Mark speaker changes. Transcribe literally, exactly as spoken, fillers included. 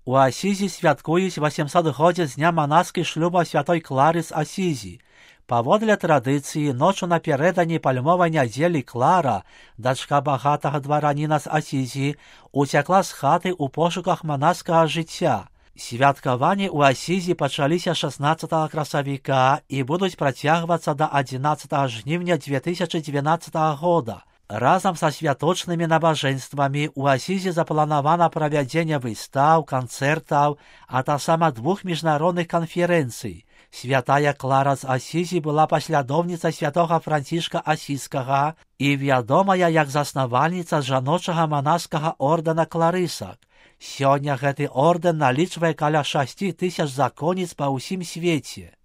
Speaker 1: У Асізі святкуюць васемсотгоддзе з дня манаскай шлюба святой Клары з Асізі. Паводле традыцыі, ночу напярэдадні пальмовай нядзелі Клара, дачка багатага двараніна з Асізі, уцякла з хаты ў пошуках манаскага жыцця. Святкаванні ў Асізі пачаліся шаснаццатага красавіка і будуць працягвацца да адзінаццатага жніўня дзве тысячы дванаццатага года. Разам са святочнымі набажэнствамі ў Асізі запланавана правядзенне выстаў, канцэртаў, а таксама двух міжнародных канферэнцый. Святая Клара з Асізі была паслядоўніцай святога Францішка Асізскага і вядомая як заснавальніца жаночага манаскага ордэна кларысак. Сёння гэты ордэн налічвае каля шасці тысяч законніц па ўсім свеце.